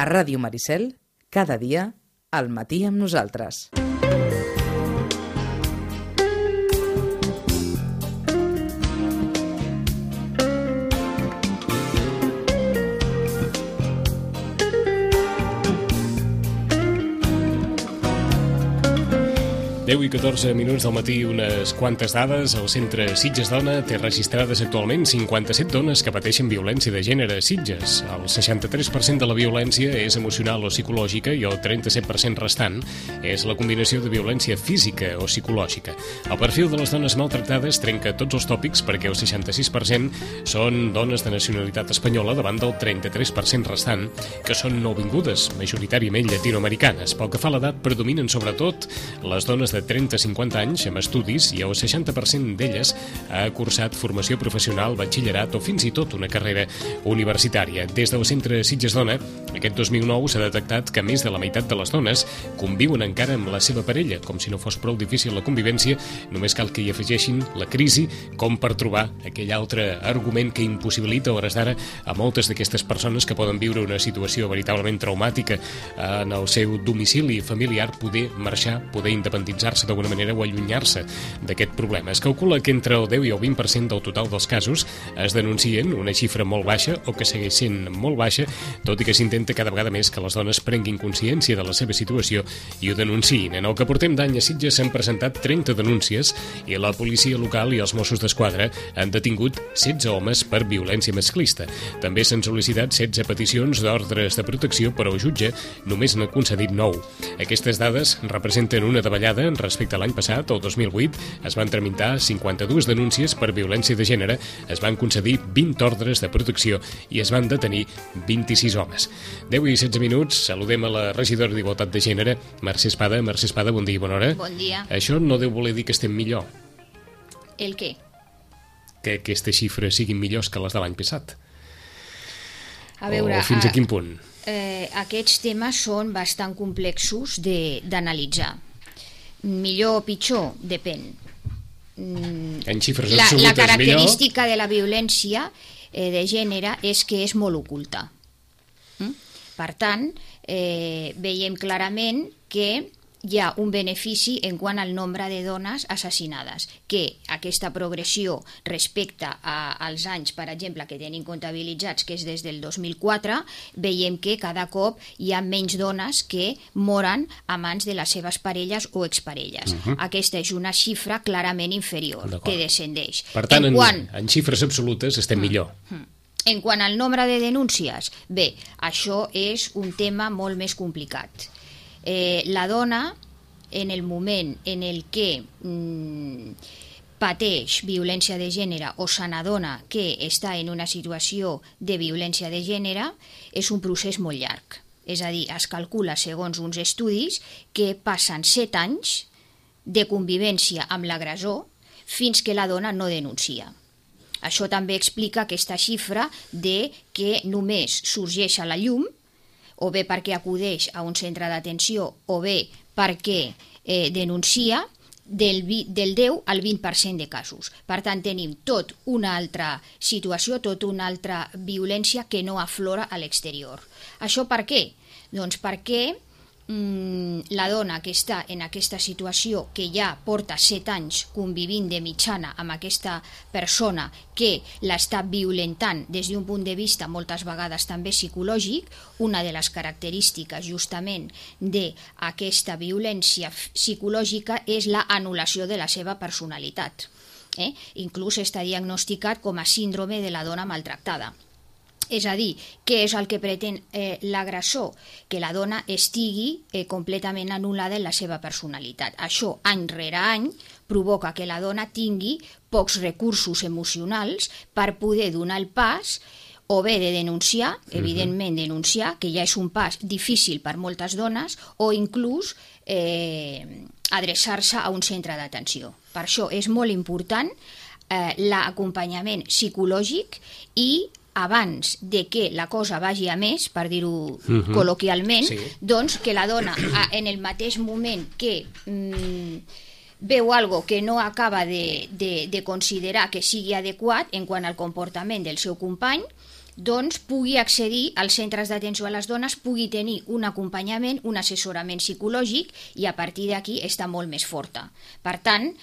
A Ràdio Maricel, cada dia, al matí amb nosaltres. I 14 minuts del matí, unes quantes dades. El centre Sitges Dona té registrades actualment 57 dones que pateixen violència de gènere a Sitges. El 63% de la violència és emocional o psicològica i el 37% restant és la combinació de violència física o psicològica. El perfil de les dones maltractades trenca tots els tòpics perquè el 66% són dones de nacionalitat espanyola davant del 33% restant, que són nouvingudes, majoritàriament llatinoamericanes. Pel que fa a l'edat, predominen sobretot les dones de 30-50 anys amb estudis i el 60% d'elles ha cursat formació professional, batxillerat o fins i tot una carrera universitària. Des del centre Sitges Dona, aquest 2009 s'ha detectat que més de la meitat de les dones conviuen encara amb la seva parella. Com si no fos prou difícil la convivència, només cal que hi afegeixin la crisi com per trobar aquell altre argument que impossibilita a hores d'ara a moltes d'aquestes persones que poden viure una situació veritablement traumàtica en el seu domicili familiar poder marxar, poder independitzar-se d'alguna manera o allunyar-se d'aquest problema. Es calcula que entre el 10 i el 20% del total dels casos es denuncien, una xifra molt baixa o que segueix sent molt baixa, tot i que s'intenta cada vegada més que les dones prenguin consciència de la seva situació i ho denunciïn. En el que portem d'any a Sitges s'han presentat 30 denúncies i la policia local i els Mossos d'Esquadra han detingut 16 homes per violència masclista. També s'han sol·licitat 16 peticions d'ordres de protecció, però el jutge només n'ha concedit 9. Aquestes dades representen una davallada respecte a l'any passat, el 2008, es van tramitar 52 denúncies per violència de gènere, es van concedir 20 ordres de protecció i es van detenir 26 homes. 10 i 16 minuts, saludem a la regidora d'Igualtat de Gènere, Mercè Espada. Mercè Espada, bon dia i bona hora. Bon dia. Això no deu voler dir que estem millor. El què? Que aquestes xifres siguin millors que les de l'any passat. A veure, o fins a quin punt? Aquests temes són bastant complexos d'analitzar. Millor o pitjor, depèn. En xifres absolutes, la característica de la violència de gènere és que és molt oculta. Per tant, veiem clarament que hi ha un benefici en quant al nombre de dones assassinades, que aquesta progressió respecte als anys, per exemple, que tenim comptabilitzats, que és des del 2004, veiem que cada cop hi ha menys dones que moren a mans de les seves parelles o exparelles. Aquesta és una xifra clarament inferior, que descendeix. Per tant, en xifres absolutes estem millor. En quant al nombre de denúncies, bé, això és un tema molt més complicat. La dona, en el moment en el que pateix violència de gènere o se n'adona que està en una situació de violència de gènere, és un procés molt llarg. És a dir, es calcula, segons uns estudis, que passen 7 anys de convivència amb l'agressor fins que la dona no denuncia. Això també explica aquesta xifra de que només sorgeix a la llum o bé perquè acudeix a un centre d'atenció o bé perquè denuncia del 10 al 20% de casos. Per tant, tenim tot una altra situació, tot una altra violència que no aflora a l'exterior. Això per què? Doncs perquè la dona que està en aquesta situació, que ja porta 7 anys convivint de mitjana amb aquesta persona que l'està violentant des d'un punt de vista moltes vegades també psicològic, una de les característiques justament d'aquesta violència psicològica és la anul·lació de la seva personalitat. Inclús està diagnosticat com a síndrome de la dona maltractada. És a dir, què és el que pretén l'agressor? Que la dona estigui completament anul·lada en la seva personalitat. Això, any rere any, provoca que la dona tingui pocs recursos emocionals per poder donar el pas o bé de denunciar, evidentment denunciar, que ja és un pas difícil per moltes dones, o inclús adreçar-se a un centre d'atenció. Per això és molt important l'acompanyament psicològic i abans de que la cosa vagi a més, per dir-ho col·loquialment, doncs que la dona en el mateix moment que veu algo que no acaba de considerar que sigui adequat en quant al comportament del seu company, doncs pugui accedir als centres d'atenció a les dones, pugui tenir un acompanyament, un assessorament psicològic i a partir d'aquí està molt més forta. Per tant,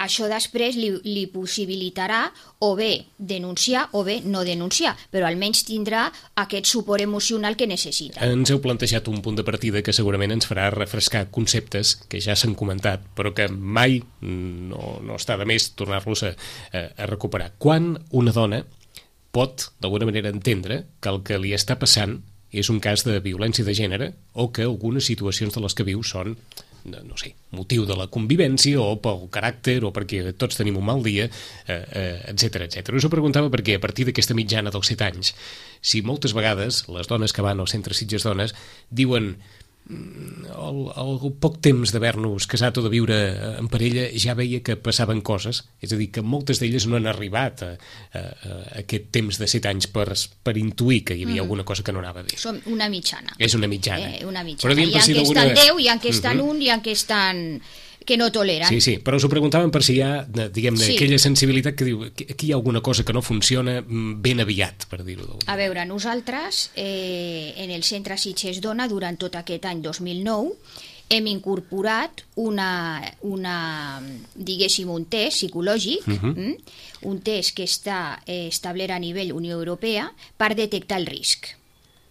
això després li possibilitarà o bé denunciar o bé no denunciar, però almenys tindrà aquest suport emocional que necessita. Ens heu plantejat un punt de partida que segurament ens farà refrescar conceptes que ja s'han comentat, però que mai no està de més tornar-los a recuperar. Quan una dona pot, d'alguna manera, entendre que el que li està passant és un cas de violència de gènere o que algunes situacions de les que viu són, no sé, motiu de la convivència o pel caràcter o perquè tots tenim un mal dia, etc. Us ho preguntava perquè a partir d'aquesta mitjana dels 7 anys, si moltes vegades les dones que van al centre Sitges Dones diuen el poc temps d'haver-nos casat o de viure en parella ja veia que passaven coses, és a dir, que moltes d'elles no han arribat a aquest temps de 7 anys per intuir que hi havia alguna cosa que no anava bé. Som una mitjana. És una mitjana. Una mitjana. Hi ha que estan 10, hi ha que estan 1, hi ha que estan que no toleren. Sí, però us ho preguntàvem per si hi ha, diguem-ne, aquella sensibilitat que diu que aquí hi ha alguna cosa que no funciona ben aviat, per dir-ho d'alguna manera. A veure, nosaltres en el centre Sitges Dona durant tot aquest any 2009 hem incorporat diguéssim, un test psicològic, un test que està establert a nivell Unió Europea per detectar el risc.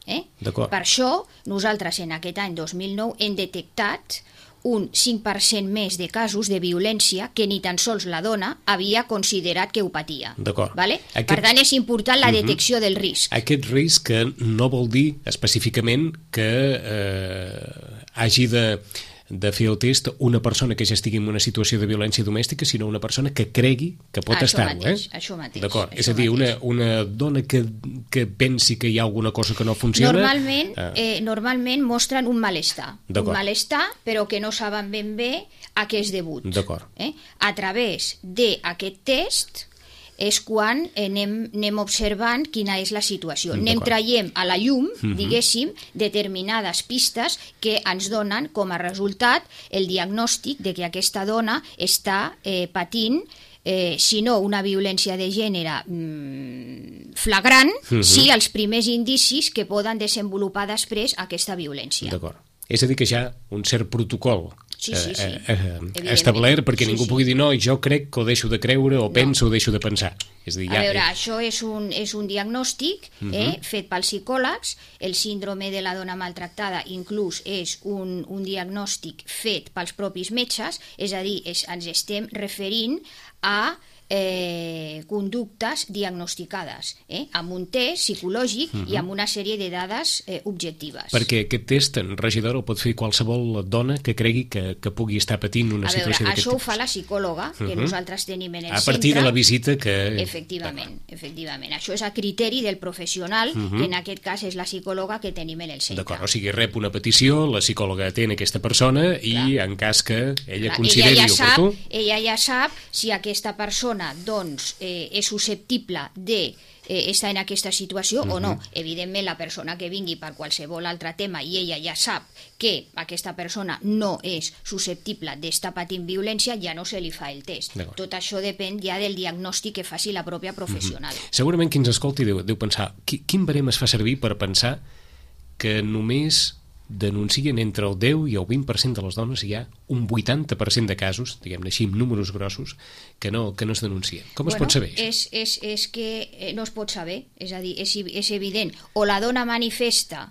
Per això, nosaltres en aquest any 2009 hem detectat un 5% més de casos de violència que ni tan sols la dona havia considerat que ho patia. Vale? Per tant, és important la detecció del risc. Aquest risc que no vol dir específicament que hagi de fer el test una persona que ja estigui en una situació de violència domèstica, sinó una persona que cregui que pot estar-ho. Això mateix. D'acord. És a dir, una dona que pensi que hi ha alguna cosa que no funciona... Normalment mostren un malestar. Un malestar, però que no saben ben bé a què és debut. D'acord. A través d'aquest test és quan anem observant quina és la situació. Anem traient a la llum, diguéssim, determinades pistes que ens donen com a resultat el diagnòstic de que aquesta dona està patint si no una violència de gènere flagrant, sí els primers indicis que poden desenvolupar després aquesta violència. D'acord. És a dir, que ja un cert protocol establert perquè ningú pugui dir no, jo crec que ho deixo de creure o penso o deixo de pensar. És a dir, això és un diagnòstic fet pels psicòlegs. El síndrome de la dona maltractada inclús és un diagnòstic fet pels propis metges, és a dir, ens estem referint a conductes diagnosticades amb un test psicològic i amb una sèrie de dades objectives. Perquè aquest test, en regidor, el pot fer qualsevol dona que cregui que pugui estar patint una situació d'aquest tipus. Això ho fa la psicòloga que nosaltres tenim en el centre. A partir de la visita que... Efectivament. Això és a criteri del professional, que en aquest cas és la psicòloga que tenim en el centre. D'acord, o sigui, rep una petició, la psicòloga atén aquesta persona i en cas que ella consideri oportú... Ella ja sap si aquesta persona és susceptible d'estar en aquesta situació o no. Evidentment, la persona que vingui per qualsevol altre tema i ella ja sap que aquesta persona no és susceptible d'estar patint violència, ja no se li fa el test. Tot això depèn ja del diagnòstic que faci la pròpia professional. Segurament qui ens escolti deu pensar quin barem es fa servir per pensar que només denuncien entre el 10 i el 20% de les dones, hi ha un 80% de casos, diguem-ne així, amb números grossos, que no es denuncien. Com es pot saber això? És que no es pot saber, és a dir, és evident. O la dona manifesta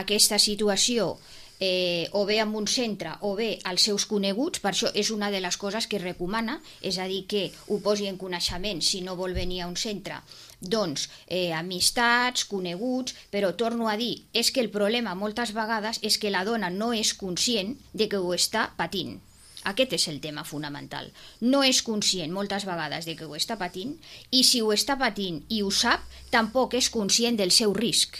aquesta situació o bé en un centre o bé als seus coneguts, per això és una de les coses que recomana, és a dir, que ho posi en coneixement si no vol venir a un centre, doncs amistats, coneguts, però torno a dir, és que el problema moltes vegades és que la dona no és conscient de que ho està patint. Aquest és el tema fonamental. No és conscient moltes vegades de que ho està patint i si ho està patint i ho sap, tampoc és conscient del seu risc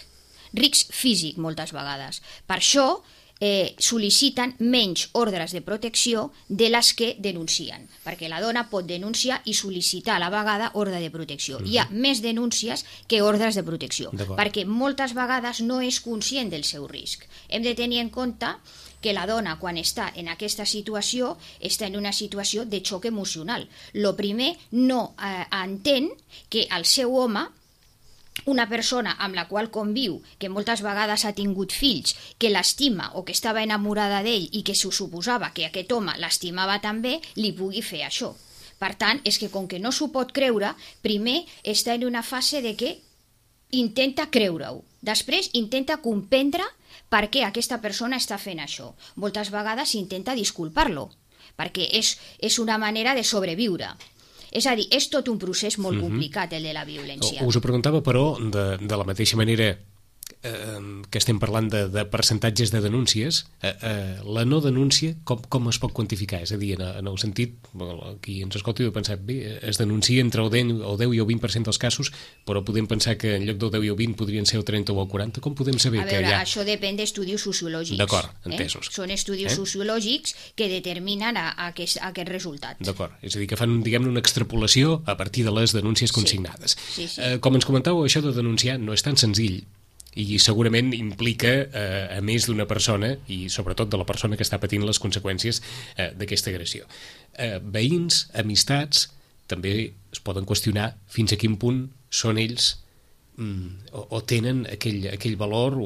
físic moltes vegades. Per això sol·liciten menys ordres de protecció de les que denuncien, perquè la dona pot denunciar i sol·licitar a la vegada ordre de protecció. Hi ha més denúncies que ordres de protecció, perquè moltes vegades no és conscient del seu risc. Hem de tenir en compte que la dona, quan està en aquesta situació, està en una situació de xoc emocional. Lo primer, no entén que el seu home una persona amb la qual conviu, que moltes vegades ha tingut fills, que l'estima o que estava enamorada d'ell i que s'ho suposava que aquest home l'estimava també, li pugui fer això. Per tant, és que com que no s'ho pot creure, primer està en una fase de que intenta creure-ho. Després intenta comprendre per què aquesta persona està fent això. Moltes vegades intenta disculpar-lo, perquè és una manera de sobreviure. És a dir, és tot un procés molt complicat, el de la violència. Us ho preguntava, però, de la mateixa manera que estem parlant de percentatges de denúncies, la no denúncia, com es pot quantificar? És a dir, en el sentit, qui ens escolti de pensar, bé, es denuncia entre el 10 i el 20% dels casos, però podem pensar que en lloc del 10 i el 20 podrien ser el 30 o el 40. Com podem saber que hi ha... Això depèn d'estudis sociològics. D'acord, entesos. Són estudis sociològics que determinen aquest resultat. D'acord, és a dir, que fan, diguem-ne, una extrapolació a partir de les denúncies consignades. Sí. Com ens comentàveu, això de denunciar no és tan senzill, i segurament implica a més d'una persona i sobretot de la persona que està patint les conseqüències d'aquesta agressió. Veïns, amistats, també es poden qüestionar fins a quin punt són ells o tenen aquell valor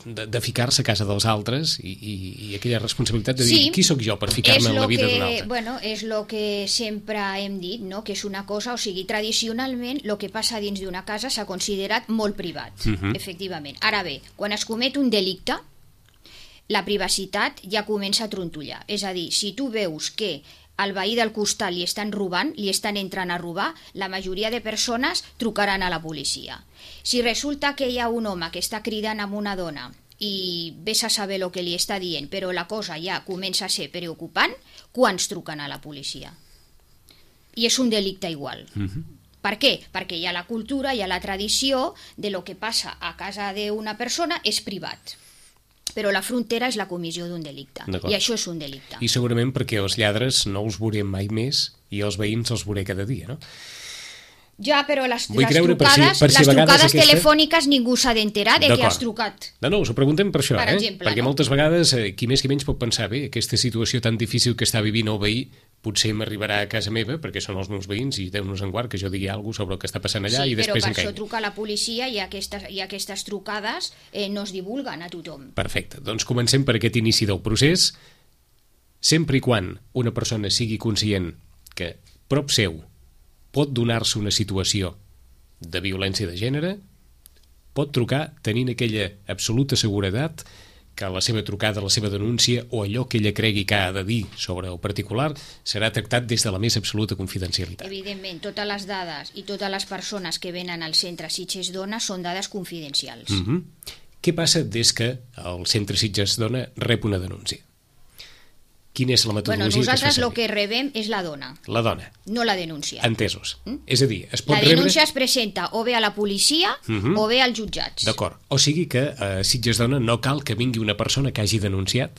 de ficar-se a casa dels altres i aquella responsabilitat de dir qui sóc jo per ficar-me en la vida d'un altre. Bueno, és el que sempre hem dit, no? Que és una cosa, o sigui, tradicionalment el que passa dins d'una casa s'ha considerat molt privat, efectivament. Ara bé, quan es comet un delicte, la privacitat ja comença a trontollar. És a dir, si tu veus que al veí del costat li estan robant, li estan entrant a robar, la majoria de persones trucaran a la policia. Si resulta que hi ha un home que està cridant amb una dona i vés a saber el que li està dient, però la cosa ja comença a ser preocupant, quants truquen a la policia? I és un delicte igual. Per què? Perquè hi ha la cultura, hi ha la tradició de lo que passa a casa d'una persona és privat. Però la frontera és la comissió d'un delicte. I això és un delicte. I segurament perquè els lladres no els veurem mai més i els veïns els veuré cada dia, no? Ja, però les trucades telefòniques ningú s'ha d'enterar de que has trucat. No, us ho preguntem per això, perquè moltes vegades qui més qui menys pot pensar, bé, aquesta situació tan difícil que està vivint el veí potser m'arribarà a casa meva perquè són els meus veïns i Déu-nos en guard que jo digui alguna cosa sobre el que està passant allà i després em caigui. Sí, però per això truca la policia i aquestes trucades no es divulguen a tothom. Perfecte, doncs comencem per aquest inici del procés. Sempre i quan una persona sigui conscient que prop seu pot donar-se una situació de violència de gènere, pot trucar tenint aquella absoluta seguretat que la seva trucada, la seva denúncia o allò que ella cregui que ha de dir sobre el particular serà tractat des de la més absoluta confidencialitat. Evidentment, totes les dades i totes les persones que venen al centre Sitges Dona són dades confidencials. Què passa des que el centre Sitges Dona rep una denúncia? Quina és la metodologia que es fa servir? Nosaltres el que rebem és la dona. La dona. No la denúncia. Entesos. És a dir, es pot rebre... La denúncia es presenta o bé a la policia o bé als jutjats. D'acord. O sigui que a Sitges Dona no cal que vingui una persona que hagi denunciat,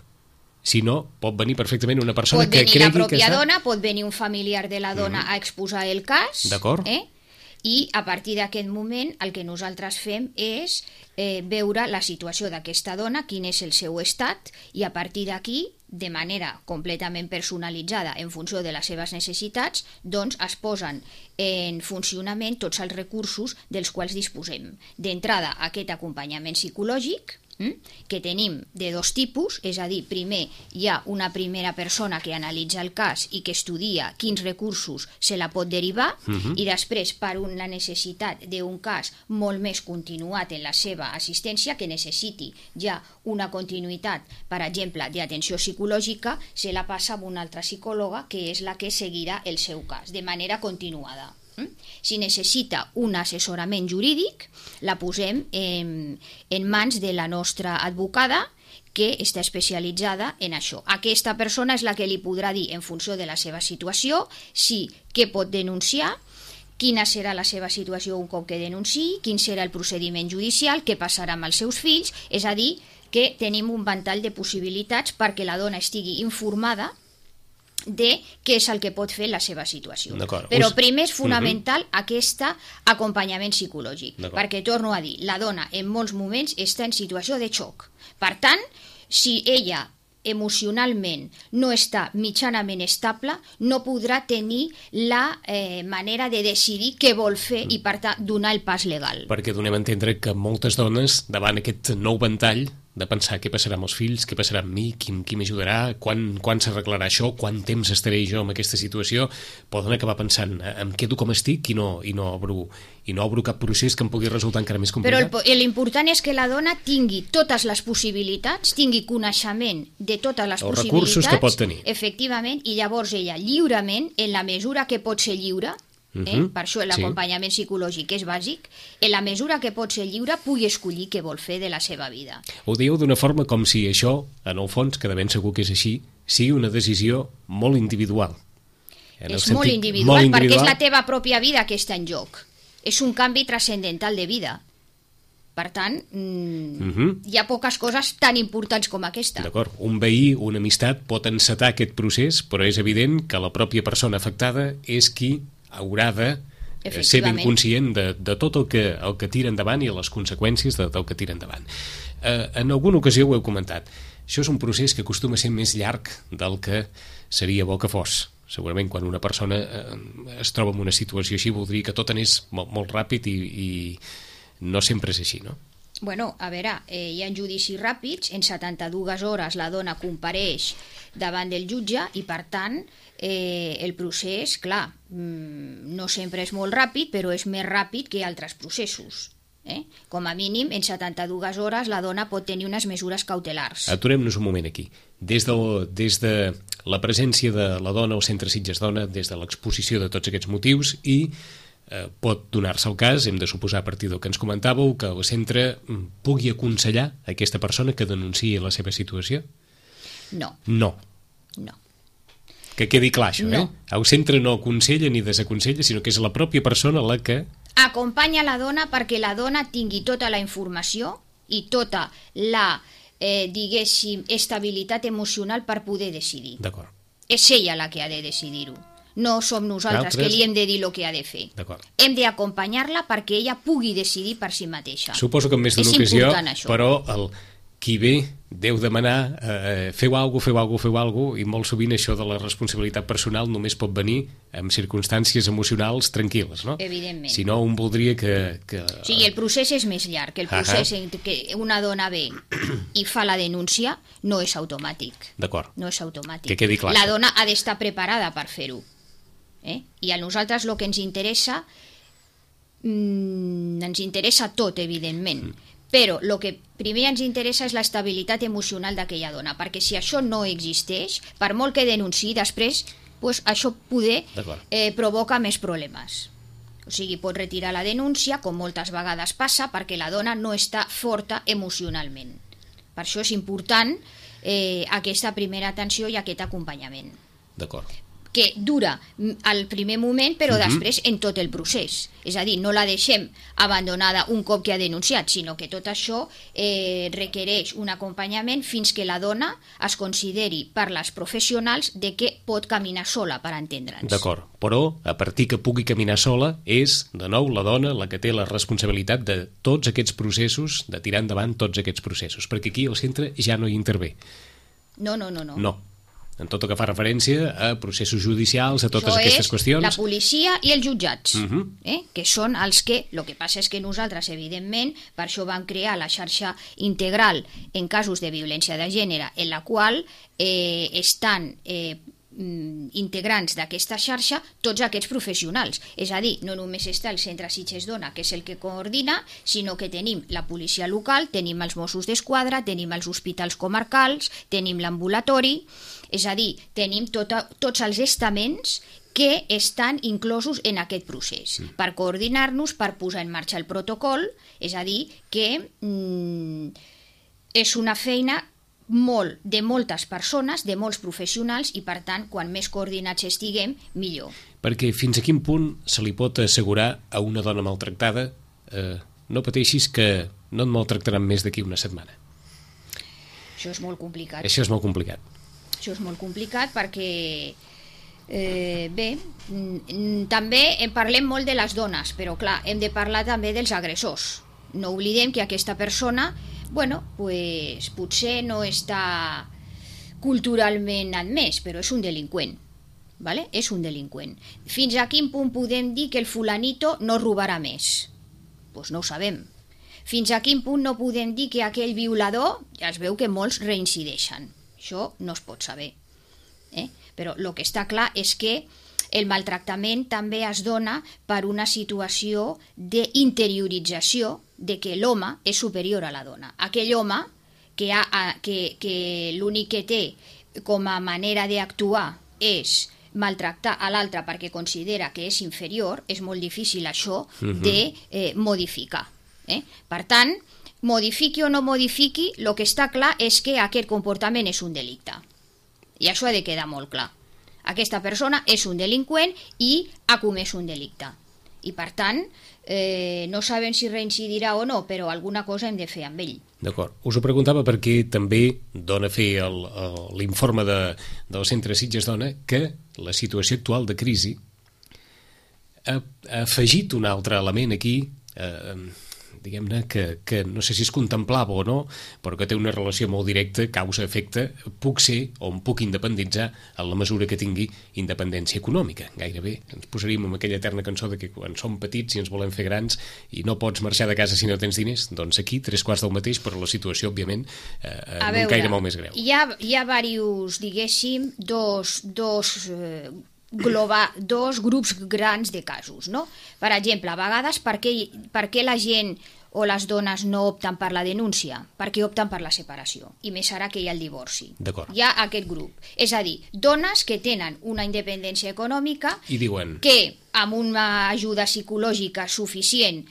sinó pot venir perfectament una persona que cregui que està... Pot venir la pròpia dona, pot venir un familiar de la dona a exposar el cas. D'acord. I a partir d'aquest moment el que nosaltres fem és veure la situació d'aquesta dona, quin és el seu estat, i a partir d'aquí, de manera completament personalitzada en funció de les seves necessitats, doncs es posen en funcionament tots els recursos dels quals disposem. D'entrada, aquest acompanyament psicològic, que tenim de dos tipus, és a dir, primer hi ha una primera persona que analitza el cas i que estudia quins recursos se la pot derivar i després, per la necessitat d'un cas molt més continuat en la seva assistència, que necessiti ja una continuïtat, per exemple, d'atenció psicològica, se la passa a una altra psicòloga que és la que seguirà el seu cas, de manera continuada. Si necessita un assessorament jurídic, la posem en mans de la nostra advocada, que està especialitzada en això. Aquesta persona és la que li podrà dir, en funció de la seva situació, què pot denunciar, quina serà la seva situació un cop que denunciï, quin serà el procediment judicial, què passarà amb els seus fills, és a dir, que tenim un ventall de possibilitats perquè la dona estigui informada de què és el que pot fer la seva situació. Però primer és fonamental aquest acompanyament psicològic, perquè, torno a dir, la dona en molts moments està en situació de xoc. Per tant, si ella emocionalment no està mitjanament estable, no podrà tenir la manera de decidir què vol fer i, per tant, donar el pas legal. Perquè donem a entendre que moltes dones, davant aquest nou ventall de pensar què passarà amb els fills, què passarà amb mi, qui m'ajudarà, quan s'arreglarà això, quant temps estaré jo en aquesta situació, poden acabar pensant em quedo com estic i no obro cap procés que em pugui resultar encara més complicat. Però l'important és que la dona tingui totes les possibilitats, tingui coneixement de totes les els possibilitats, recursos que pot tenir. Efectivament, i llavors ella lliurement, en la mesura que pot ser lliure, per això l'acompanyament psicològic és bàsic, en la mesura que pot ser lliure pugui escollir què vol fer de la seva vida. Ho dieu d'una forma com si això, en el fons, que de ben segur que és així, sigui una decisió molt individual. És molt individual, perquè és la teva pròpia vida que està en joc. És un canvi transcendental de vida. Per tant, hi ha poques coses tan importants com aquesta. D'acord, un veí, una amistat pot encetar aquest procés, però és evident que la pròpia persona afectada és qui haurà de ser ben conscient de tot el que tira endavant i les conseqüències del que tira endavant. En alguna ocasió ho heu comentat. Això és un procés que acostuma a ser més llarg del que seria bo que fos. Segurament quan una persona es troba en una situació així voldria que tot anés molt ràpid i no sempre és així, no? Bueno, a veure, hi ha judicis ràpids, en 72 hores la dona compareix davant del jutge i, per tant, el procés, clar, no sempre és molt ràpid, però és més ràpid que altres processos. Com a mínim, en 72 hores la dona pot tenir unes mesures cautelars. Aturem-nos un moment aquí. Des de la presència de la dona al Centre Sitges Dona, des de l'exposició de tots aquests motius i pot donar-se el cas, hem de suposar a partir del que ens comentàveu, que el centre pugui aconsellar a aquesta persona que denunciï la seva situació? No. No. Que quedi clar això, no. El centre no aconsella ni desaconsella, sinó que és la pròpia persona la que acompanya la dona perquè la dona tingui tota la informació i tota la, diguéssim, estabilitat emocional per poder decidir. D'acord. És ella la que ha de decidir-ho. No som nosaltres que li hem de dir el que ha de fer. Hem d'acompanyar-la perquè ella pugui decidir per si mateixa. Suposo que en més d'una ocasió, però qui ve deu demanar feu alguna cosa, i molt sovint això de la responsabilitat personal només pot venir en circumstàncies emocionals tranquil·les, no? Evidentment. Si no, un voldria que... O sigui, el procés és més llarg. El procés en què una dona ve i fa la denúncia no és automàtic. D'acord. No és automàtic. Que quedi clar. La dona ha d'estar preparada per fer-ho. I a nosaltres el que ens interessa tot, evidentment. Però el que primer ens interessa és l'estabilitat emocional d'aquella dona, perquè si això no existeix, per molt que denunciï després, això poder provoca més problemes. O sigui, pot retirar la denúncia, com moltes vegades passa, perquè la dona no està forta emocionalment. Per això és important aquesta primera atenció i aquest acompanyament. D'acord. Que dura al primer moment, però després en tot el procés. És a dir, no la deixem abandonada un cop que ha denunciat, sinó que tot això requereix un acompanyament fins que la dona es consideri per les professionals de que pot caminar sola, per entendre'ns. D'acord, però a partir que pugui caminar sola és, de nou, la dona la que té la responsabilitat de tots aquests processos, de tirar endavant tots aquests processos, perquè aquí el centre ja no hi intervé. No. En tot el que fa referència a processos judicials, a totes aquestes qüestions. La policia i els jutjats, que són els que... El que passa és que nosaltres, evidentment, per això vam crear la xarxa integral en casos de violència de gènere, en la qual estan integrants d'aquesta xarxa tots aquests professionals. És a dir, no només està el Centre Sitges Dona, que és el que coordina, sinó que tenim la policia local, tenim els Mossos d'Esquadra, tenim els hospitals comarcals, tenim l'ambulatori, és a dir, tenim tots els estaments que estan inclosos en aquest procés, per coordinar-nos, per posar en marxa el protocol, és a dir, que és una feina de moltes persones, de molts professionals, i per tant, quan més coordinats estiguem, millor. Perquè fins a quin punt se li pot assegurar a una dona maltractada no pateixis que no et maltractaran més d'aquí una setmana? Això és molt complicat. Això és molt complicat. Això és molt complicat perquè, també parlem molt de les dones, però clar, hem de parlar també dels agressors. No oblidem que aquesta persona, potser no està culturalment admès, però és un delinqüent. ¿Vale? És un delinqüent. Fins a quin punt podem dir que el fulanito no robarà més? Doncs no ho sabem. Fins a quin punt no podem dir que aquell violador, ja es veu que molts reincideixen. Això no es pot saber. Però el que està clar és que el maltractament també es dona per una situació d'interiorització de que l'home és superior a la dona. Aquell home que l'únic que té com a manera d'actuar és maltractar a l'altre perquè considera que és inferior, és molt difícil això de modificar. Per tant, modifiqui o no modifiqui, el que està clar és que aquest comportament és un delicte. I això ha de quedar molt clar. Aquesta persona és un delinqüent i ha comès un delicte. I per tant, no sabem si reincidirà o no, però alguna cosa hem de fer amb ell. D'acord. Us ho preguntava perquè també dona a fer l'informe del Centre Sitges Dona que la situació actual de crisi ha afegit un altre element aquí, diguem-ne, que no sé si es contemplava o no, però que té una relació molt directa, causa-efecte, puc ser o em puc independitzar en la mesura que tingui independència econòmica. Gairebé ens posaríem en aquella eterna cançó de que quan som petits i ens volem fer grans i no pots marxar de casa si no tens diners, doncs aquí 3/4 del mateix, però la situació, òbviament, en un caire molt més greu. Hi ha diversos, diguéssim, dos grups grans de casos, no? Per exemple, a vegades, per què la gent o les dones no opten per la denúncia? Perquè opten per la separació, i més ara que hi ha el divorci. Hi ha aquest grup. És a dir, dones que tenen una independència econòmica i diuen que amb una ajuda psicològica suficient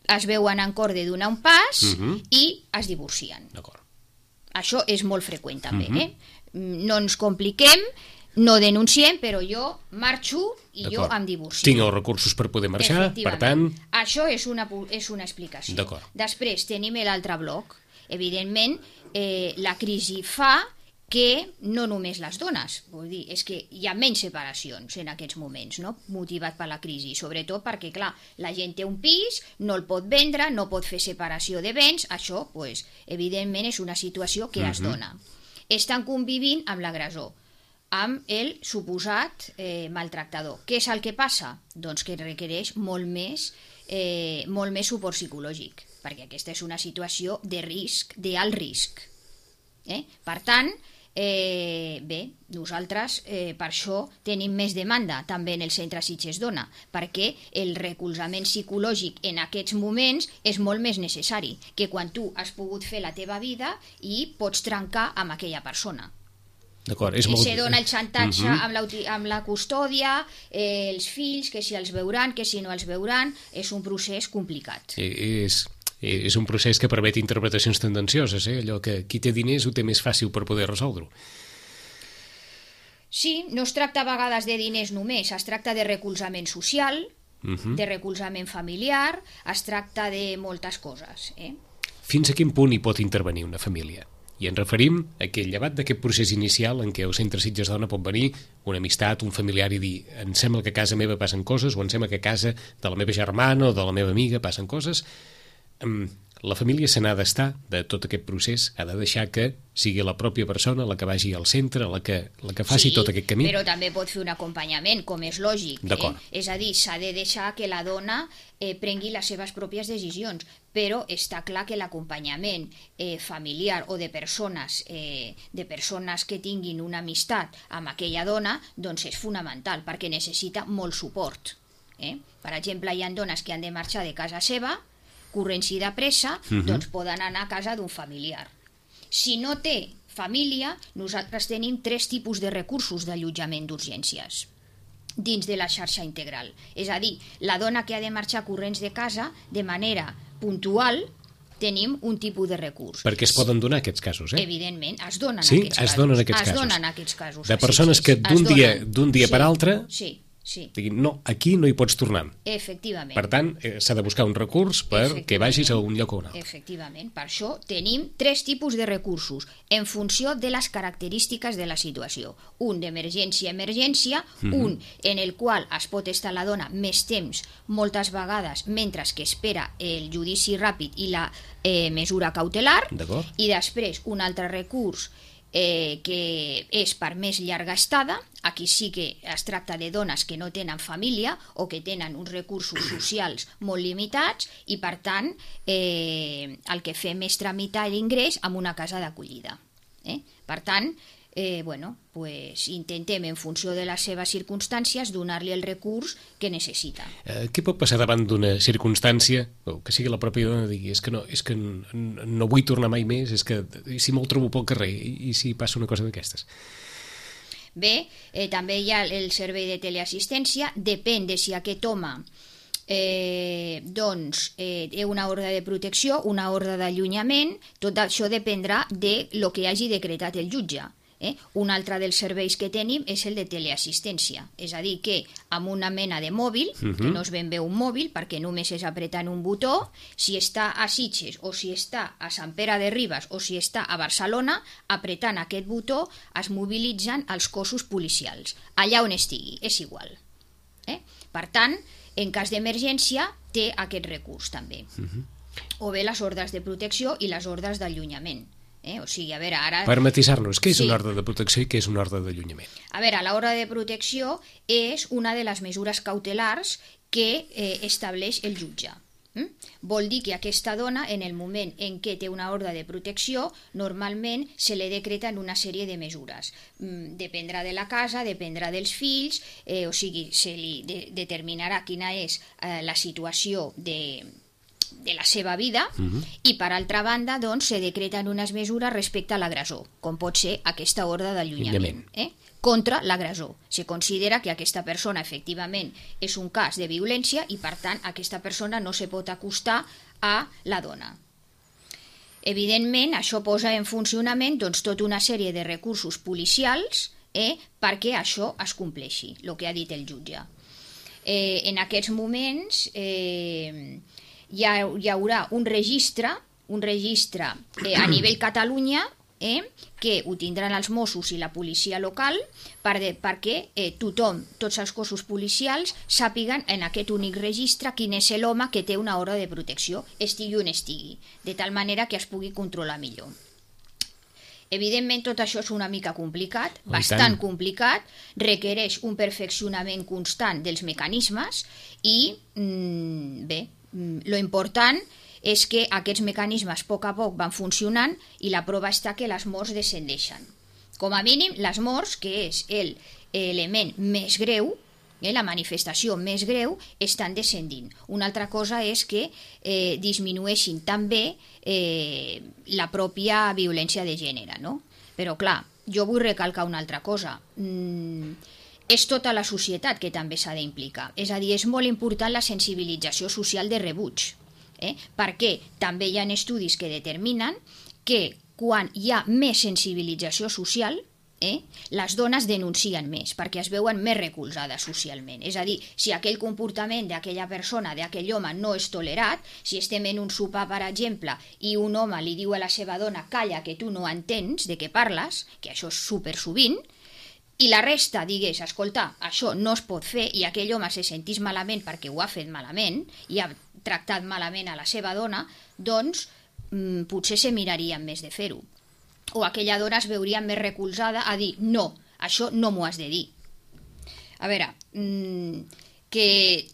es veuen en cor de donar un pas i es divorcien. Això és molt freqüent també. No ens compliquem, no denunciem, però jo marxo i jo em divorcio. Tinc els recursos per poder marxar, per tant... Això és una explicació. Després tenim l'altre bloc. Evidentment, la crisi fa que no només les dones, vull dir, és que hi ha menys separacions en aquests moments, no? Motivat per la crisi, sobretot perquè, clar, la gent té un pis, no el pot vendre, no pot fer separació de béns, això, pues, evidentment, és una situació que es dona. Estan convivint amb l'agressor, amb el suposat maltractador. Què és el que passa? Doncs que requereix molt més suport psicològic, perquè aquesta és una situació de risc, d'alt risc. Per tant, nosaltres per això tenim més demanda també en el Centre Sitges Dona, perquè el recolzament psicològic en aquests moments és molt més necessari que quan tu has pogut fer la teva vida i pots trencar amb aquella persona. Se dona el xantatge amb la custòdia, els fills, que si els veuran, que si no els veuran, és un procés complicat. És un procés que permet interpretacions tendencioses, allò que qui té diners ho té més fàcil per poder resoldre-ho. Sí, no es tracta a vegades de diners només, es tracta de recolzament social, de recolzament familiar, es tracta de moltes coses. Fins a quin punt hi pot intervenir una família? I ens referim a que llevat d'aquest procés inicial en què el Centre Sitges Dona pot venir una amistat, un familiar i dir em sembla que a casa meva passen coses o em sembla que a casa de la meva germana o de la meva amiga passen coses, la família se n'ha d'estar de tot aquest procés, ha de deixar que sigui la pròpia persona la que vagi al centre, la que faci tot aquest camí. Sí, però també pot fer un acompanyament, com és lògic. És a dir, s'ha de deixar que la dona prengui les seves pròpies decisions, però està clar que l'acompanyament familiar o de persones que tinguin una amistat amb aquella dona doncs és fonamental, perquè necessita molt suport. Per exemple, hi ha dones que han de marxar de casa seva corrents i de pressa, doncs poden anar a casa d'un familiar. Si no té família, nosaltres tenim 3 tipus de recursos d'allotjament d'urgències dins de la xarxa integral. És a dir, la dona que ha de marxar corrents de casa, de manera puntual, tenim un tipus de recurs. Perquè es poden donar aquests casos, Evidentment, es donen aquests casos. De persones que d'un dia per altre... Sí. Diguin, no, aquí no hi pots tornar. Efectivament. Per tant, s'ha de buscar un recurs perquè vagis a un lloc o un altre. Efectivament. Per això tenim 3 tipus de recursos en funció de les característiques de la situació. Un d'emergència a emergència, un en el qual es pot estar la dona més temps, moltes vegades, mentre que espera el judici ràpid i la mesura cautelar, i després un altre recurs que és per més llarga estada. Aquí sí que es tracta de dones que no tenen família o que tenen uns recursos socials molt limitats i, per tant, el que fem és tramitar l'ingrés en una casa d'acollida. Per tant, intentem, en funció de les seves circumstàncies, donar-li el recurs que necessita. Què pot passar davant d'una circumstància, o que sigui la pròpia dona digui és que no vull tornar mai més, és que si me'l trobo pel carrer i si passa una cosa d'aquestes? Bé, també hi ha el servei de teleassistència, depèn de si aquest home té una ordre de protecció, una ordre d'allunyament, tot això dependrà de lo que hagi decretat el jutge. Un altre dels serveis que tenim és el de teleassistència, és a dir, que amb una mena de mòbil, que no és ben bé un mòbil perquè només és apretant un botó, si està a Sitges o si està a Sant Pere de Ribes o si està a Barcelona, apretant aquest botó es mobilitzen els cossos policials, allà on estigui, és igual. Per tant, en cas d'emergència té aquest recurs també. O bé les ordres de protecció i les ordres d'allunyament. O sigui, a veure, ara... Per matisar-nos, què és una ordre de protecció i què és una ordre d'allunyament? A veure, l'ordre de protecció és una de les mesures cautelars que estableix el jutge. Vol dir que aquesta dona, en el moment en què té una ordre de protecció, normalment se li decreten una sèrie de mesures. Dependrà de la casa, dependrà dels fills, o sigui, se li determinarà quina és la situació de la seva vida, i per altra banda doncs, se decreten unes mesures respecte a l'agressor, com pot ser aquesta ordre d'allunyament contra l'agressor. Se considera que aquesta persona efectivament és un cas de violència i per tant aquesta persona no se pot acostar a la dona. Evidentment això posa en funcionament doncs, tota una sèrie de recursos policials perquè això es compleixi, el que ha dit el jutge. En aquests moments hi haurà un registre a nivell Catalunya que ho tindran els Mossos i la policia local perquè tothom, tots els cossos policials, sàpiguen en aquest únic registre quin és l'home que té una ordre de protecció, estigui on estigui, de tal manera que es pugui controlar millor. Evidentment tot això és una mica complicat, bastant complicat, requereix un perfeccionament constant dels mecanismes i, lo important és que aquests mecanismes a poc van funcionant i la prova està que les morts descendeixen. Com a mínim, les morts, que és l'element més greu, la manifestació més greu, estan descendint. Una altra cosa és que disminueixin també la pròpia violència de gènere, no? Però clar, jo vull recalcar una altra cosa. És tota la societat que també s'ha d'implicar. És a dir, és molt important la sensibilització social de rebuig, perquè també hi ha estudis que determinen que quan hi ha més sensibilització social, les dones denuncien més, perquè es veuen més recolzades socialment. És a dir, si aquell comportament d'aquella persona, d'aquell home, no és tolerat, si estem en un sopar, per exemple, i un home li diu a la seva dona «calla, que tu no entens de què parles», que això és supersovint, i la resta digués, escolta, això no es pot fer, i aquell home se sentís malament perquè ho ha fet malament i ha tractat malament a la seva dona, doncs potser se mirarien més de fer-ho. O aquella dona es veuria més recolzada a dir, no, això no m'ho has de dir. A veure, que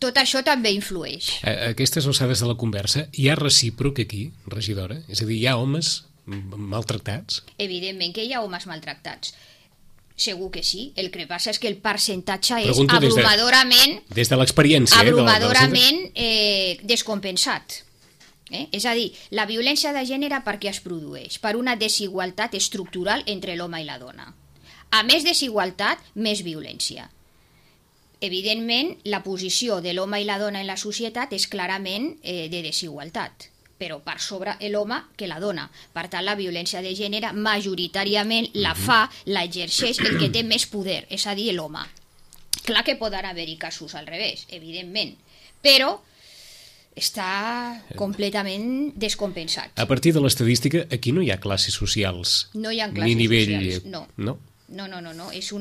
tot això també influeix. A aquestes alçades de la conversa, hi ha recíproc aquí, regidora? És a dir, hi ha homes maltractats? Evidentment que hi ha homes maltractats. Segur que sí, el que passa és que el percentatge és abrumadorament des de l'experiència descompensat. És a dir, la violència de gènere per què es produeix? Per una desigualtat estructural entre l'home i la dona. A més desigualtat, més violència. Evidentment, la posició de l'home i la dona en la societat és clarament de desigualtat, però per sobre l'home que la dona. Per tant, la violència de gènere majoritàriament l'exerceix el que té més poder, és a dir, l'home. Clar que poden haver-hi casos al revés, evidentment, però està completament descompensat. A partir de l'estadística, aquí no hi ha classes socials. No hi ha classes socials, no. No? No. És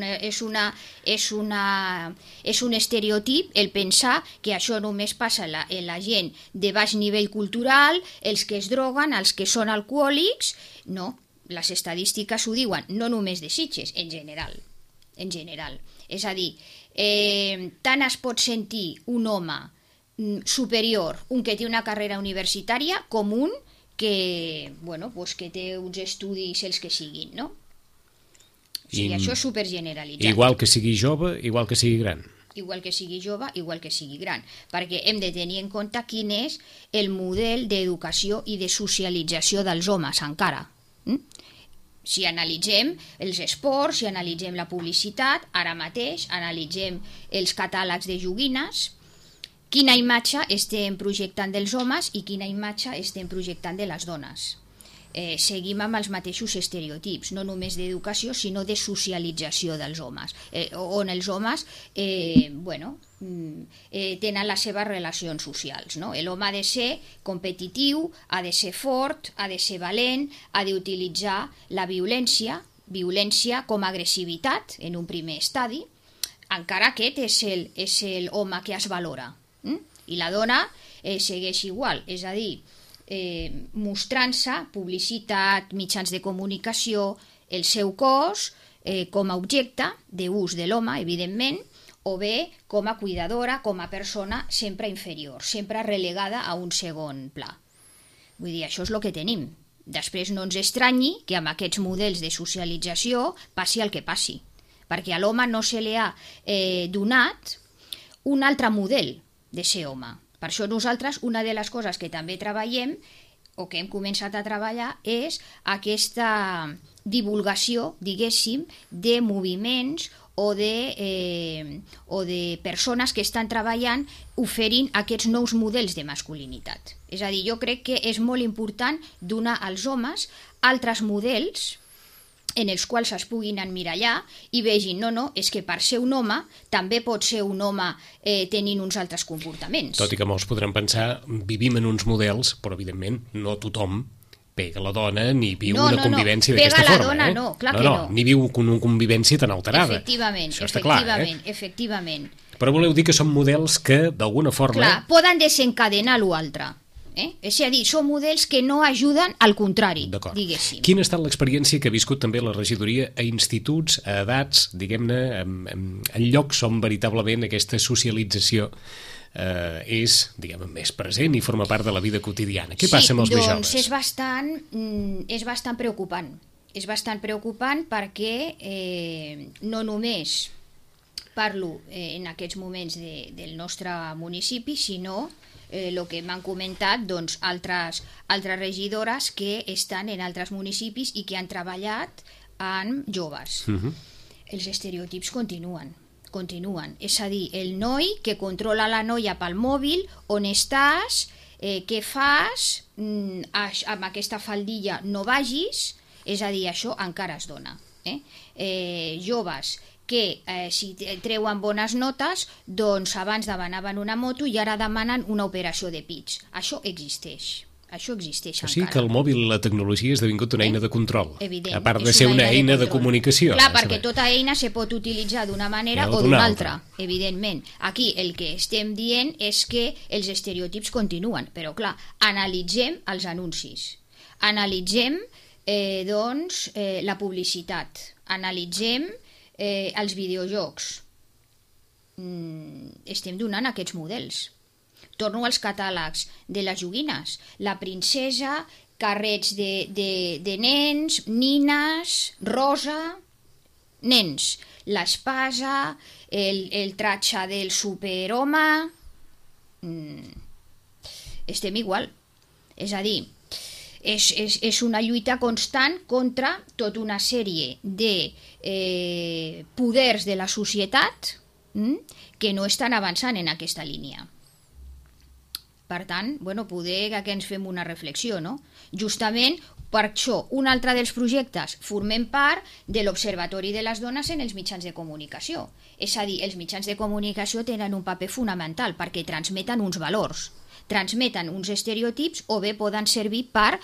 un estereotip el pensar que això només passa en la gent de baix nivell cultural, els que es droguen, els que són alcohòlics. No, les estadístiques ho diuen, no només de Sitges, en general. És a dir, tant es pot sentir un home superior, un que té una carrera universitària, com un que, que té uns estudis els que siguin, no? O sigui, això és supergeneralitzat. Igual que sigui jove, igual que sigui gran. Igual que sigui jove, igual que sigui gran, perquè hem de tenir en compte quin és el model d'educació i de socialització dels homes encara. Si analitzem els esports, si analitzem la publicitat, ara mateix analitzem els catàlegs de joguines, quina imatge estem projectant dels homes i quina imatge estem projectant de les dones. Seguim amb els mateixos estereotips, no només d'educació, sinó de socialització dels homes, on els homes tenen les seves relacions socials. No? L'home ha de ser competitiu, ha de ser fort, ha de ser valent, ha d'utilitzar la violència com a agressivitat en un primer estadi, encara aquest és l'home que es valora. I la dona segueix igual, és a dir, mostrant-se, publicitat, mitjans de comunicació, el seu cos com a objecte d'ús de l'home, evidentment, o bé com a cuidadora, com a persona sempre inferior, sempre relegada a un segon pla. Vull dir, això és el que tenim. Després no ens estranyi que amb aquests models de socialització passi el que passi, perquè a l'home no se li ha donat un altre model de ser home. Per això nosaltres, una de les coses que també treballem, o que hem començat a treballar, és aquesta divulgació, diguéssim, de moviments o de persones que estan treballant oferint aquests nous models de masculinitat. És a dir, jo crec que és molt important donar als homes altres models en els quals es puguin emmirallar i vegin, no, és que per ser un home també pot ser un home tenint uns altres comportaments. Tot i que molts podran pensar, vivim en uns models, però evidentment no tothom pega la dona ni viu una convivència d'aquesta forma. Pega la dona, no, clar que no. Ni viu una convivència tan alterada. Efectivament, això està clar, efectivament. Però voleu dir que són models que, d'alguna forma... Clar, poden desencadenar l'altre. És a dir, són models que no ajuden, al contrari, diguéssim. Quina ha estat l'experiència que ha viscut també la regidoria a instituts, a edats, diguem-ne, en llocs on veritablement aquesta socialització és, diguem-ne, més present i forma part de la vida quotidiana? Què passa amb els més joves? És bastant preocupant. És bastant preocupant perquè no només parlo en aquests moments del nostre municipi, sinó el que m'han comentat altres regidores que estan en altres municipis i que han treballat amb joves. Els estereotips continuen. És a dir, el noi que controla la noia pel mòbil, on estàs, què fas, amb aquesta faldilla no vagis, és a dir, això encara es dona. Joves que si treuen bones notes, doncs abans demanaven una moto i ara demanen una operació de pits. Això existeix encara. O sigui que el mòbil i la tecnologia ha esdevingut una eina de control, evident, a part de ser una eina de comunicació. Clar, perquè tota eina se pot utilitzar d'una manera o d'una altra, evidentment. Aquí el que estem dient és que els estereotips continuen, però clar, analitzem els anuncis, analitzem la publicitat, analitzem els videojocs. Estem donant aquests models. Torno als catàlegs de les joguines. La princesa, carrets de nens, nines, rosa, nens. L'espasa, el tratge del superhome... Estem igual. És a dir, és una lluita constant contra tota una sèrie de poders de la societat que no estan avançant en aquesta línia. Per tant, poder que ens fem una reflexió, no? Justament per això, un altre dels projectes, formem part de l'Observatori de les Dones en els mitjans de comunicació. És a dir, els mitjans de comunicació tenen un paper fonamental perquè transmeten uns valors. transmeten uns estereotips o bé poden servir per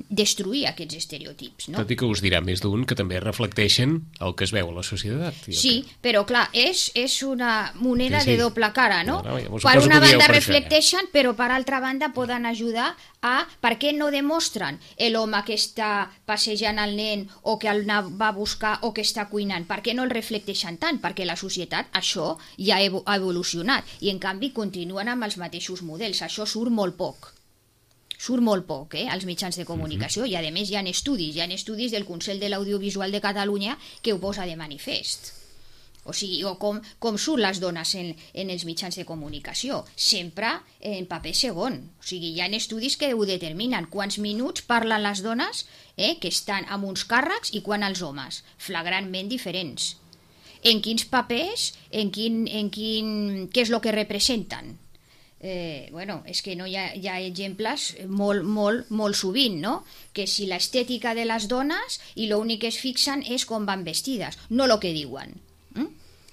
destruir aquests estereotips. No? Tot i que us dirà més d'un que també reflecteixen el que es veu a la societat. Sí, però clar, és una moneda de doble cara, no? Ja per una banda reflecteixen, però per altra banda poden ajudar a... Per què no demostren l'home que està passejant el nen o que el va a buscar o que està cuinant? Per què no el reflecteixen tant? Perquè la societat això ja ha evolucionat i en canvi continuen amb els mateixos models. Això surt molt poc. Surt molt poc, als mitjans de comunicació, i a més hi ha estudis del Consell de l'Audiovisual de Catalunya que ho posa de manifest. O sigui, com surt les dones en els mitjans de comunicació? Sempre en paper segon. O sigui, hi ha estudis que ho determinen. Quants minuts parlen les dones que estan amb uns càrrecs i quan els homes? Flagrantment diferents. En quins papers, què és el que representen? És que no hi ha exemples molt sovint, no? Que si l'estètica de les dones i l'únic que es fixen és com van vestides, no el que diuen.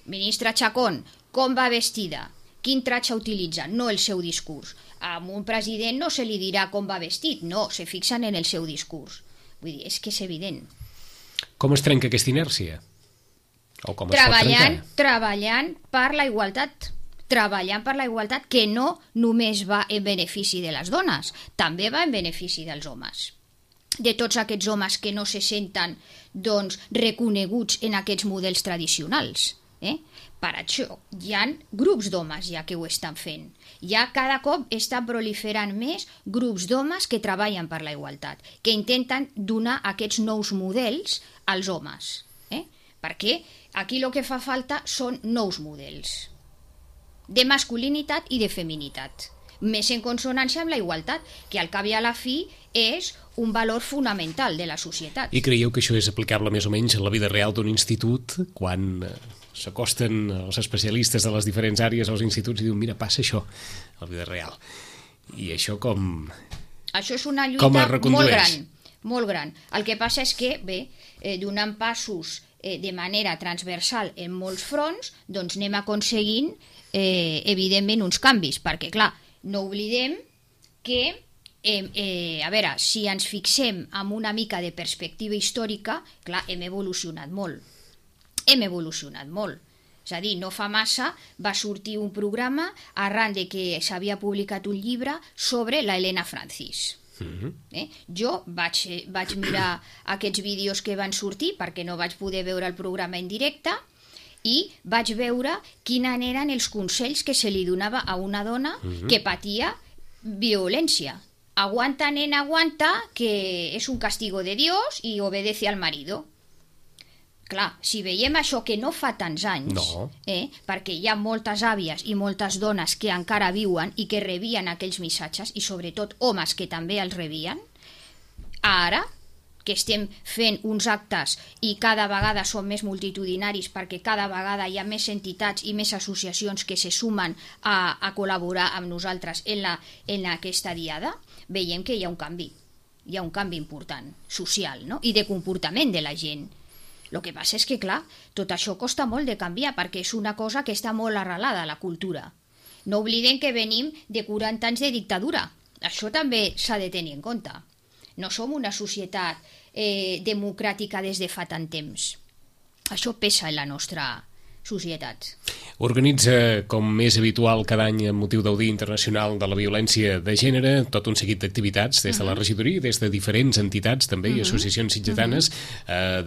Ministra Chacón, com va vestida? Quin tratge utilitza? No el seu discurs. A un president no se li dirà com va vestit, no, se fixen en el seu discurs. Vull dir, és que és evident. Com es trenca aquesta inèrcia? O com es pot trencar? Treballant per la igualtat. Treballant per la igualtat, que no només va en benefici de les dones, també va en benefici dels homes. De tots aquests homes que no se senten reconeguts en aquests models tradicionals. Per això hi ha grups d'homes ja que ho estan fent. Ja cada cop estan proliferant més grups d'homes que treballen per la igualtat, que intenten donar aquests nous models als homes. Perquè aquí el que fa falta són nous models de masculinitat i de feminitat, més en consonància amb la igualtat, que al cap i a la fi és un valor fonamental de la societat. I creieu que això és aplicable més o menys a la vida real d'un institut, quan s'acosten els especialistes de les diferents àrees als instituts i diuen, mira, passa això a la vida real. I això com... Això és una lluita molt gran. El que passa és que, donant passos de manera transversal en molts fronts, doncs anem aconseguint evidentment uns canvis, perquè clar, no oblidem que a veure, si ens fixem en una mica de perspectiva històrica, clar, hem evolucionat molt. És a dir, no fa massa va sortir un programa arran de que s'havia publicat un llibre sobre la Elena Francis. Jo vaig mirar aquests vídeos que van sortir perquè no vaig poder veure el programa en directe i vaig veure quins eren els consells que se li donava a una dona que patia violència. Aguanta, nena, aguanta, que és un castigo de Dios i obedece al marido. Clar, si veiem això que no fa tants anys, perquè hi ha moltes àvies i moltes dones que encara viuen i que rebien aquells missatges, i sobretot homes que també els rebien, ara que estem fent uns actes i cada vegada són més multitudinaris perquè cada vegada hi ha més entitats i més associacions que se sumen a col·laborar amb nosaltres en aquesta diada, veiem que hi ha un canvi important, social, no? I de comportament de la gent. El que passa és que, clar, tot això costa molt de canviar perquè és una cosa que està molt arrelada a la cultura. No oblidem que venim de 40 anys de dictadura. Això també s'ha de tenir en compte. No som una societat democràtica des de fa tant temps. Això pesa en la nostra societat. Organitza, com és habitual cada any amb motiu del Dia Internacional de la Violència de Gènere, tot un seguit d'activitats des de la regidoria, des de diferents entitats també i associacions sitgetanes.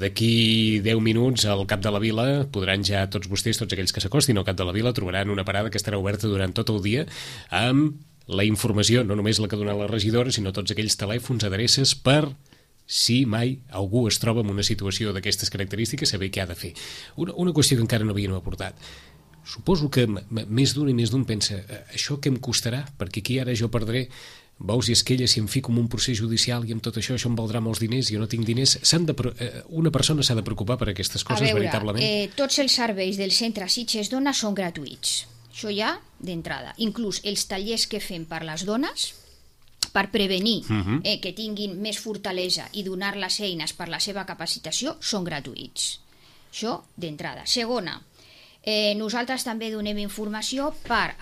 D'aquí 10 minuts al Cap de la Vila podran ja tots vostès, tots aquells que s'acostin al Cap de la Vila, trobaran una parada que estarà oberta durant tot el dia amb la informació, no només la que dona la regidora, sinó tots aquells telèfons, adreces per... si mai algú es troba en una situació d'aquestes característiques, saber què ha de fer. Una qüestió que encara no havíem aportat. Suposo que més d'un i més d'un pensa, això què em costarà? Perquè aquí ara jo perdré bous i esquelles si em fico en un procés judicial i amb tot això em valdrà molts diners, jo no tinc diners. Una persona s'ha de preocupar per aquestes coses, veritablement? Tots els serveis del centre Sitges Dona són gratuïts. Això ja d'entrada. Inclús els tallers que fem per les dones, per prevenir que tinguin més fortalesa i donar les eines per la seva capacitació, són gratuïts. Això d'entrada. Segona, Nosaltres també donem informació per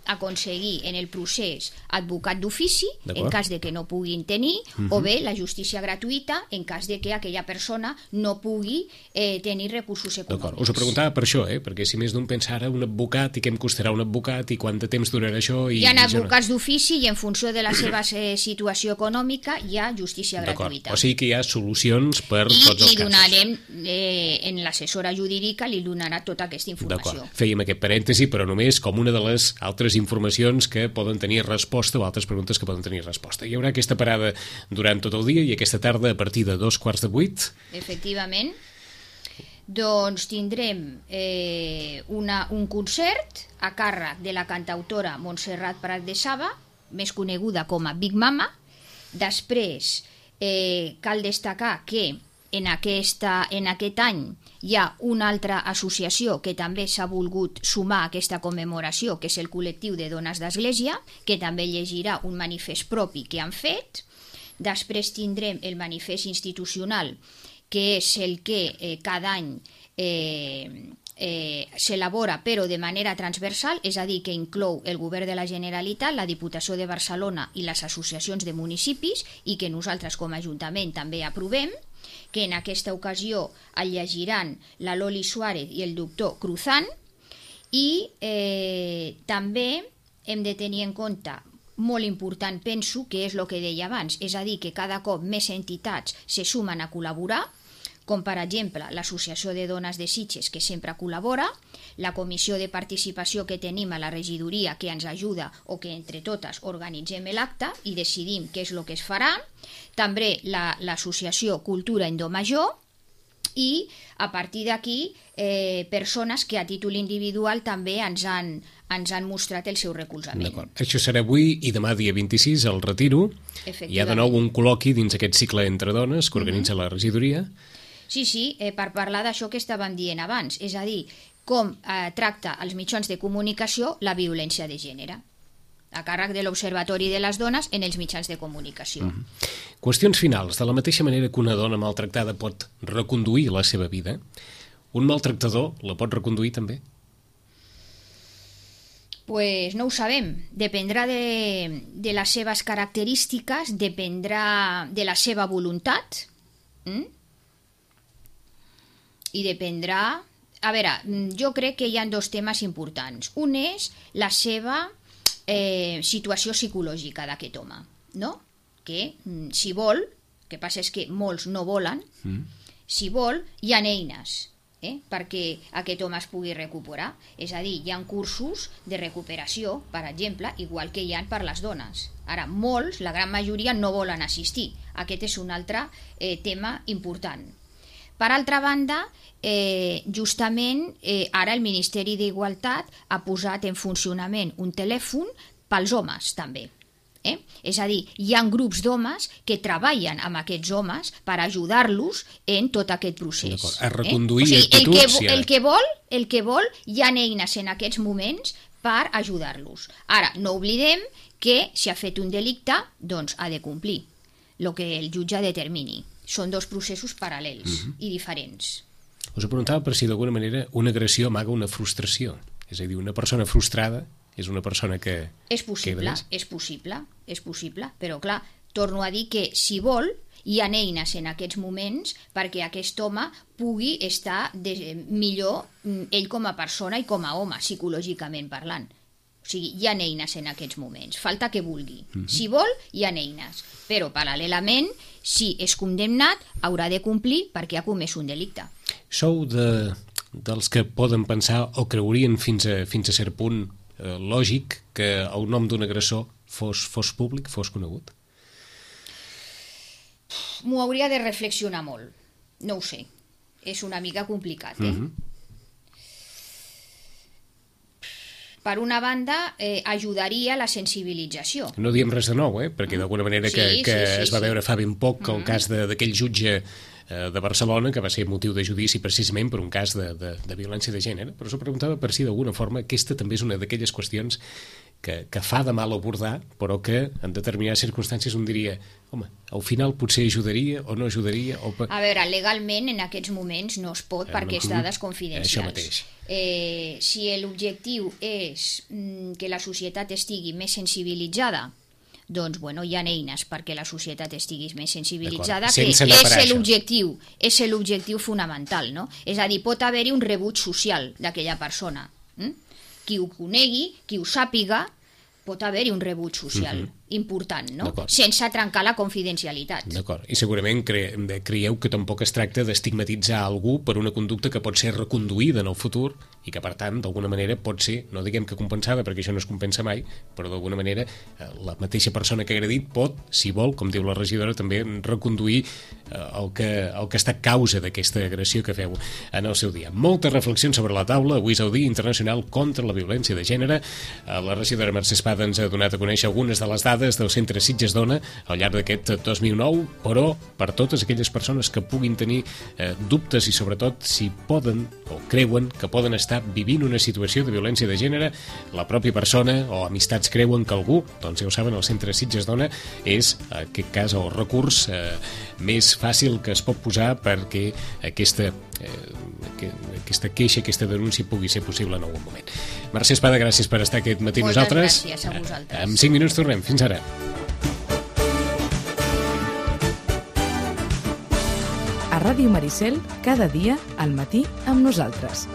aconseguir en el procés advocat d'ofici en cas de que no puguin tenir, o bé la justícia gratuïta en cas de que aquella persona no pugui tenir recursos econòmics. Us ho preguntava per això, perquè si més d'un pensa ara un advocat i què em costarà un advocat i quant de temps durarà això... Hi ha advocats d'ofici i en funció de la seva situació econòmica hi ha justícia gratuïta. O sigui que hi ha solucions per tots els casos. I li donarem, en l'assessora jurídica li donarà tota aquesta informació. Fèiem aquest parèntesi, però només com una de les altres informacions que poden tenir resposta o altres preguntes que poden tenir resposta. Hi haurà aquesta parada durant tot el dia i aquesta tarda a partir de 7:15. Efectivament. Doncs tindrem un concert a càrrec de la cantautora Montserrat Prat de Saba, més coneguda com a Big Mama. Després cal destacar que en aquest any hi ha una altra associació que també s'ha volgut sumar a aquesta commemoració, que és el col·lectiu de dones d'Església, que també llegirà un manifest propi que han fet. Després tindrem el manifest institucional, que és el que cada any s'elabora però de manera transversal, és a dir, que inclou el Govern de la Generalitat, la Diputació de Barcelona i les associacions de municipis, i que nosaltres com a Ajuntament també aprovem, que en aquesta ocasió el llegiran la Loli Suárez i el doctor Cruzán, i també hem de tenir en compte, molt important penso, que és el que deia abans, és a dir, que cada cop més entitats se sumen a col·laborar, com per exemple l'Associació de Dones de Sitges, que sempre col·labora, la comissió de participació que tenim a la regidoria, que ens ajuda o que entre totes organitzem l'acte i decidim què és el que es farà, també l'associació Cultura en Do Major, i a partir d'aquí persones que a títol individual també ens han mostrat el seu recolzament. D'acord. Això serà avui i demà dia 26 al Retiro. Hi ha de nou un col·loqui dins aquest cicle entre dones que organitza la regidoria. Sí, per parlar d'això que estàvem dient abans, és a dir, com tracta els mitjans de comunicació la violència de gènere, a càrrec de l'Observatori de les Dones en els mitjans de comunicació. Qüestions finals. De la mateixa manera que una dona maltractada pot reconduir la seva vida, un maltractador la pot reconduir també? Pues no ho sabem. Dependrà de les seves característiques, dependrà de la seva voluntat, i dependrà... A veure, jo crec que hi ha dos temes importants. Un és la seva situació psicològica d'aquest home, no? Que si vol, el que passa és que molts no volen, si vol, hi ha eines perquè aquest home es pugui recuperar. És a dir, hi ha cursos de recuperació, per exemple, igual que hi ha per les dones. Ara, molts, la gran majoria, no volen assistir. Aquest és un altre tema important. Per altra banda, justament ara el Ministeri d'Igualtat ha posat en funcionament un telèfon pels homes també. És a dir, hi ha grups d'homes que treballen amb aquests homes per ajudar-los en tot aquest procés. A reconduir actituds. El que vol, hi ha eines en aquests moments per ajudar-los. Ara, no oblidem que si ha fet un delicte, doncs ha de complir el que el jutge determini. Són dos processos paral·lels i diferents. Us preguntava per si d'alguna manera una agressió amaga una frustració. És a dir, una persona frustrada és una persona que... És possible, però clar, torno a dir que si vol, hi ha eines en aquests moments perquè aquest home pugui estar millor ell com a persona i com a home, psicològicament parlant. O sigui, hi ha eines en aquests moments, falta que vulgui. Si vol, hi ha eines, però paral·lelament, si és condemnat, haurà de complir perquè ha comès un delicte. Sou dels que poden pensar o creurien fins a cert punt lògic que el nom d'un agressor fos públic, fos conegut? M'ho hauria de reflexionar molt. No ho sé. És una mica complicat, Per una banda, ajudaria la sensibilització. No diem res de nou, perquè d'alguna manera que es va veure fa ben poc el cas d'aquell jutge de Barcelona que va ser motiu de judici precisament per un cas de violència de gènere, però s'ho preguntava per si d'alguna forma aquesta també és una d'aquelles qüestions que fa de mal abordar, però que en determinades circumstàncies un diria home, al final potser ajudaria o no ajudaria... A veure, legalment en aquests moments no es pot perquè és dades confidencials. Això mateix. Si l'objectiu és que la societat estigui més sensibilitzada, doncs, bueno, hi ha eines perquè la societat estigui més sensibilitzada, que és l'objectiu fonamental, no? És a dir, pot haver-hi un rebuig social d'aquella persona. Qui ho conegui, qui ho sàpiga, pot haver-hi un rebuig social important, no? Sense trencar la confidencialitat. D'acord. I segurament creieu que tampoc es tracta d'estigmatitzar algú per una conducta que pot ser reconduïda en el futur i que, per tant, d'alguna manera pot ser, no diguem que compensada, perquè això no es compensa mai, però d'alguna manera la mateixa persona que ha agredit pot, si vol, com diu la regidora, també reconduir el que ha estat causa d'aquesta agressió que feu en el seu dia. Moltes reflexions sobre la taula. Avui és el Dia Internacional contra la Violència de Gènere. La regidora Mercè Espada ens ha donat a conèixer algunes de les dades del Centre Sitges Dona al llarg d'aquest 2009, però per totes aquelles persones que puguin tenir dubtes i sobretot si poden o creuen que poden estar vivint una situació de violència de gènere, la pròpia persona o amistats creuen que algú, doncs ja ho saben, el Centre Sitges Dona és, en aquest cas, el recurs més fàcil que es pot posar perquè aquesta queixa, aquesta denúncia pugui ser possible en algun moment. Mercè Espada, gràcies per estar aquest matí amb nosaltres. Moltes gràcies a vosaltres. En 5 minuts tornem. Fins ara. A Ràdio Maricel, cada dia al matí amb nosaltres.